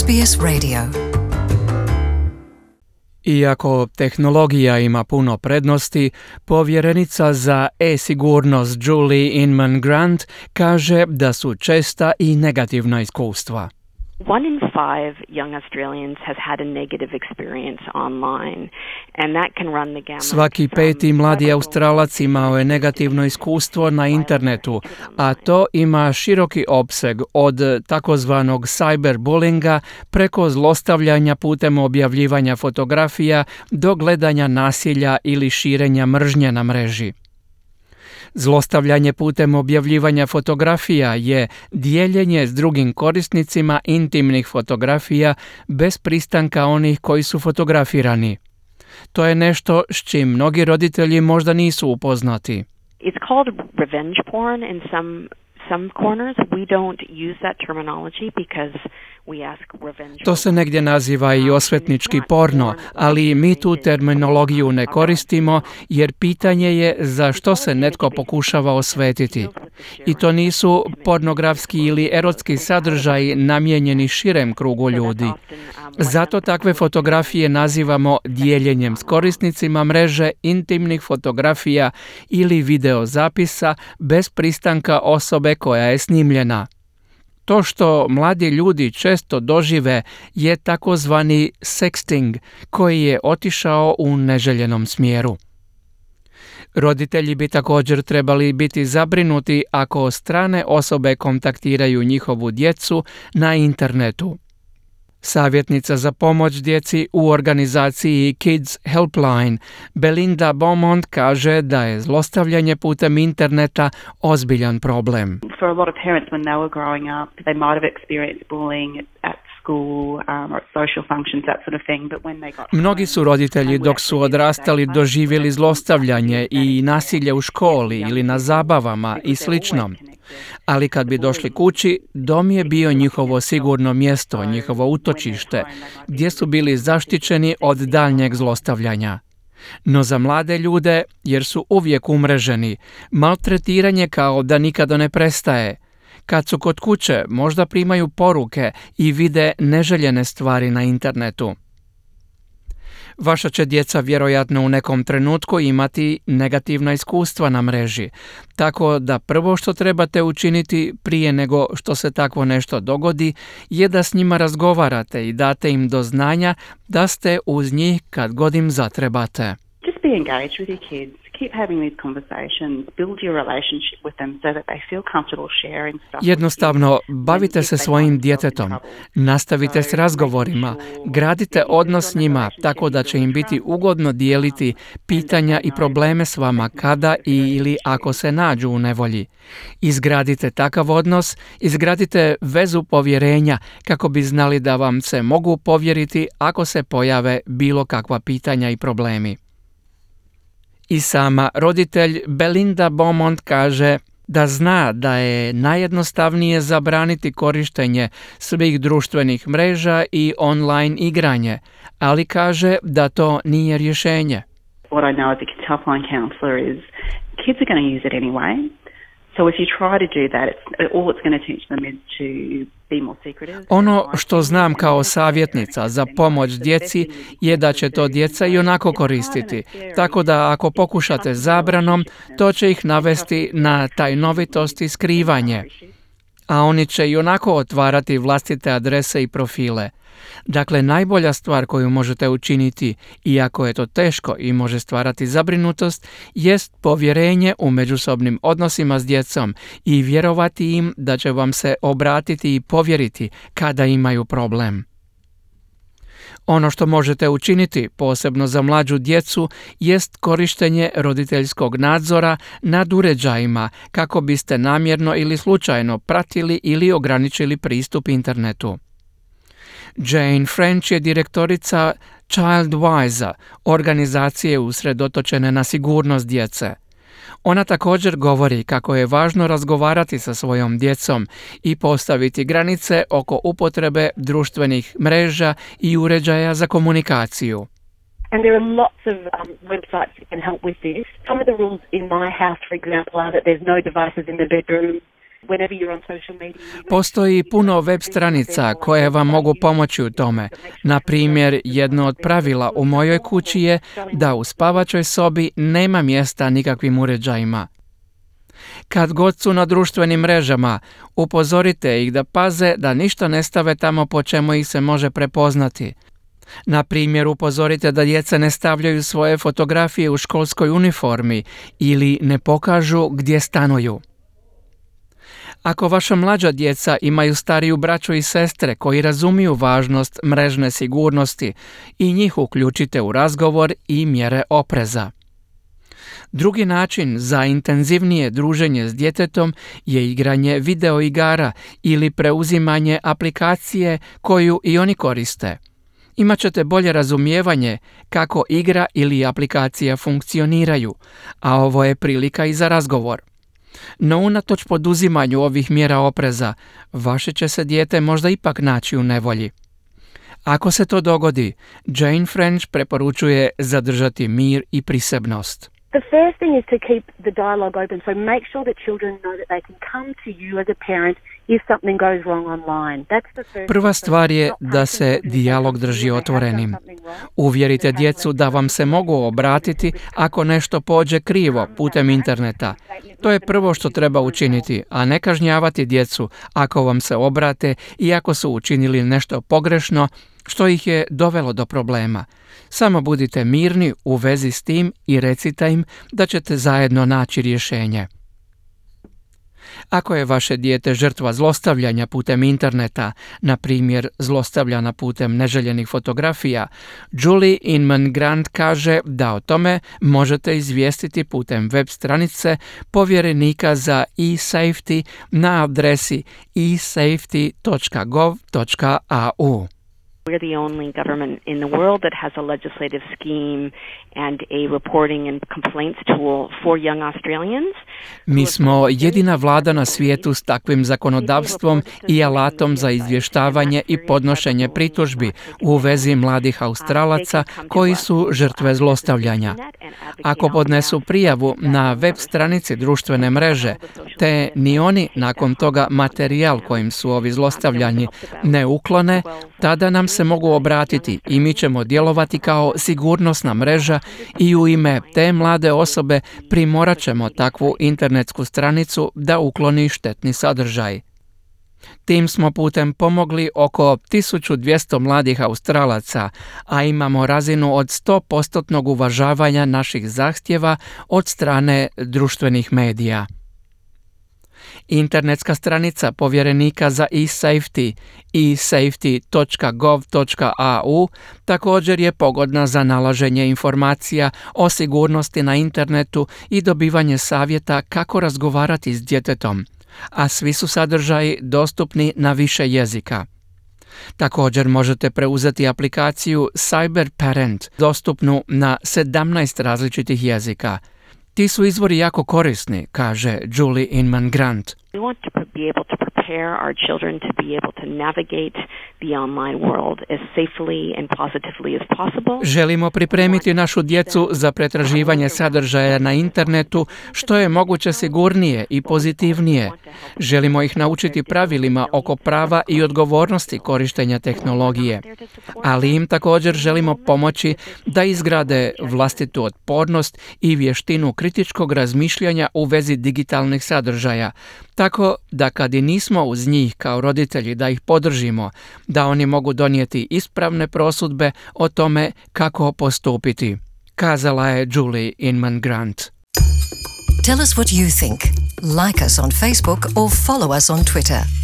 SBS Radio. Iako tehnologija ima puno prednosti, povjerenica za e-sigurnost Julie Inman Grant kaže da su česta i negativna iskustva. 1 in 5 young Australians has had a negative experience online, and that can run the gamut. Svaki peti mladi Australac imao je negativno iskustvo na internetu, a to ima široki opseg od takozvanog cyberbullinga preko zlostavljanja putem objavljivanja fotografija do gledanja nasilja ili širenja mržnje na mreži. Zlostavljanje putem objavljivanja fotografija je dijeljenje s drugim korisnicima intimnih fotografija bez pristanka onih koji su fotografirani. To je nešto s čim mnogi roditelji možda nisu upoznati. It's called revenge porn in some corners. We don't use that terminology because we ask revenge. To se negdje naziva i osvetnički porno, ali mi tu terminologiju ne koristimo jer pitanje je za što se netko pokušava osvetiti. I to nisu pornografski ili erotski sadržaji namijenjeni širem krugu ljudi. Zato takve fotografije nazivamo dijeljenjem s korisnicima mreže intimnih fotografija ili videozapisa bez pristanka osobe koja je snimljena. To što mladi ljudi često dožive je takozvani sexting, koji je otišao u neželjenom smjeru. Roditelji bi također trebali biti zabrinuti ako strane osobe kontaktiraju njihovu djecu na internetu. Savjetnica za pomoć djeci u organizaciji Kids Helpline, Belinda Beaumont, kaže da je zlostavljanje putem interneta ozbiljan problem. For a lot of parents when they were growing up, they might have experienced bullying at school or at social functions, that sort of thing, but when they got Mnogi su roditelji dok su odrastali doživjeli zlostavljanje i nasilje u školi ili na zabavama i slično. Ali kad bi došli kući, dom je bio njihovo sigurno mjesto, njihovo utočište, gdje su bili zaštićeni od daljnjeg zlostavljanja. No za mlade ljude, jer su uvijek umreženi, maltretiranje kao da nikada ne prestaje. Kad su kod kuće, možda primaju poruke i vide neželjene stvari na internetu. Vaša će djeca vjerojatno u nekom trenutku imati negativna iskustva na mreži, tako da prvo što trebate učiniti prije nego što se takvo nešto dogodi je da s njima razgovarate i date im do znanja da ste uz njih kad god im zatrebate. just be engaged with your kids. Keep having these conversations, build your relationship with them so that they feel comfortable sharing stuff. Jednostavno, bavite se svojim djetetom, nastavite s razgovorima, gradite odnos s njima tako da će im biti ugodno dijeliti pitanja i probleme s vama kada ili ako se nađu u nevolji. Izgradite takav odnos, izgradite vezu povjerenja kako bi znali da vam se mogu povjeriti ako se pojave bilo kakva pitanja i problemi. I sama roditelj Belinda Beaumont kaže da zna da je najjednostavnije zabraniti korištenje svih društvenih mreža i online igranje, ali kaže da to nije rješenje. What I know as a kids helpline counsellor is kids are going to use it anyway. So if you try to do that, all it's going to teach them is to be more secretive. Ono što znam kao savjetnica za pomoć djeci je da će to djeca i onako koristiti. Tako da ako pokušate zabranom, to će ih navesti na tajnovitost i skrivanje. A oni će i onako otvarati vlastite adrese i profile. Dakle, najbolja stvar koju možete učiniti, iako je to teško i može stvarati zabrinutost, jest povjerenje u međusobnim odnosima s djecom i vjerovati im da će vam se obratiti i povjeriti kada imaju problem. Ono što možete učiniti, posebno za mlađu djecu, jest korištenje roditeljskog nadzora nad uređajima kako biste namjerno ili slučajno pratili ili ograničili pristup internetu. Jane French je direktorica Childwise, organizacije usredotočene na sigurnost djece. Ona također govori kako je važno razgovarati sa svojom djecom i postaviti granice oko upotrebe društvenih mreža i uređaja za komunikaciju. And there are lots of websites that can help with this. Some of the rules in my house, for example, are that there's no devices in the bedroom. whenever you're on social media. Postoji puno web stranica koje vam mogu pomoći u tome. Na primjer, jedno od pravila u mojoj kući je da u spavačoj sobi nema mjesta nikakvim uređajima. Kad god su na društvenim mrežama, upozorite ih da paze da ništa ne stave tamo po čemu ih se može prepoznati. Na primjer, upozorite da djeca ne stavljaju svoje fotografije u školskoj uniformi ili ne pokažu gdje stanuju. Ako vaša mlađa djeca imaju stariju braću i sestre koji razumiju važnost mrežne sigurnosti, i njih uključite u razgovor i mjere opreza. Drugi način za intenzivnije druženje s djetetom je igranje videoigara ili preuzimanje aplikacije koju i oni koriste. Imaćete bolje razumijevanje kako igra ili aplikacija funkcioniraju, a ovo je prilika i za razgovor. No unatoč poduzimanju ovih mjera opreza, vaše će se dijete možda ipak naći u nevolji. Ako se to dogodi, Jane French preporučuje zadržati mir i prisebnost. The first thing is to keep the dialogue open, so make sure that children know that they can come to you as a parent if something goes wrong online. That's the first. Prva stvar je da se dijalog drži otvorenim. Uvjerite djecu da vam se mogu obratiti ako nešto pođe krivo putem interneta. To je prvo što treba učiniti, a ne kažnjavati djecu ako vam se obrate i ako su učinili nešto pogrešno što ih je dovelo do problema. Samo budite mirni u vezi s tim i recite im da ćete zajedno naći rješenje. Ako je vaše dijete žrtva zlostavljanja putem interneta, na primjer zlostavljana putem neželjenih fotografija, Julie Inman Grant kaže da o tome možete izvijestiti putem web stranice povjerenika za e-safety na adresi esafety.gov.au. We're the only government in the world that has a legislative scheme and a reporting and complaints tool for young Australians. Mi smo jedina vlada na svijetu s takvim zakonodavstvom i alatom za izvještavanje i podnošenje pritužbi u vezi mladih Australaca koji su žrtve zlostavljanja. Ako podnesu prijavu na web stranici društvene mreže, te ni oni nakon toga materijal kojim su ovi zlostavljanji ne uklone, tada nam se mogu obratiti i mi ćemo djelovati kao sigurnosna mreža i u ime te mlade osobe primorat ćemo takvu internetsku stranicu da ukloni štetni sadržaj. Tim smo putem pomogli oko 1200 mladih Australaca, a imamo razinu od 100% uvažavanja naših zahtjeva od strane društvenih medija. Internetska stranica povjerenika za e-safety esafety.gov.au također je pogodna za nalaženje informacija o sigurnosti na internetu i dobivanje savjeta kako razgovarati s djetetom, a svi su sadržaji dostupni na više jezika. Također možete preuzeti aplikaciju Cyber Parent, dostupnu na 17 različitih jezika. Ti su izvori jako korisni, kaže Julie Inman Grant. We want to be able to prepare our children to be able to navigate the online world as safely and positively as possible. Želimo pripremiti našu djecu za pretraživanje sadržaja na internetu što je moguće sigurnije i pozitivnije. Želimo ih naučiti pravilima oko prava i odgovornosti korištenja tehnologije, ali im također želimo pomoći da izgrade vlastitu otpornost i vještinu kritičkog razmišljanja u vezi digitalnih sadržaja, tako da kad i nismo uz njih kao roditelji da ih podržimo, da oni mogu donijeti ispravne prosudbe o tome kako postupiti, kazala je Julie Inman Grant. Tell us what you think. Like us on Facebook or follow us on Twitter.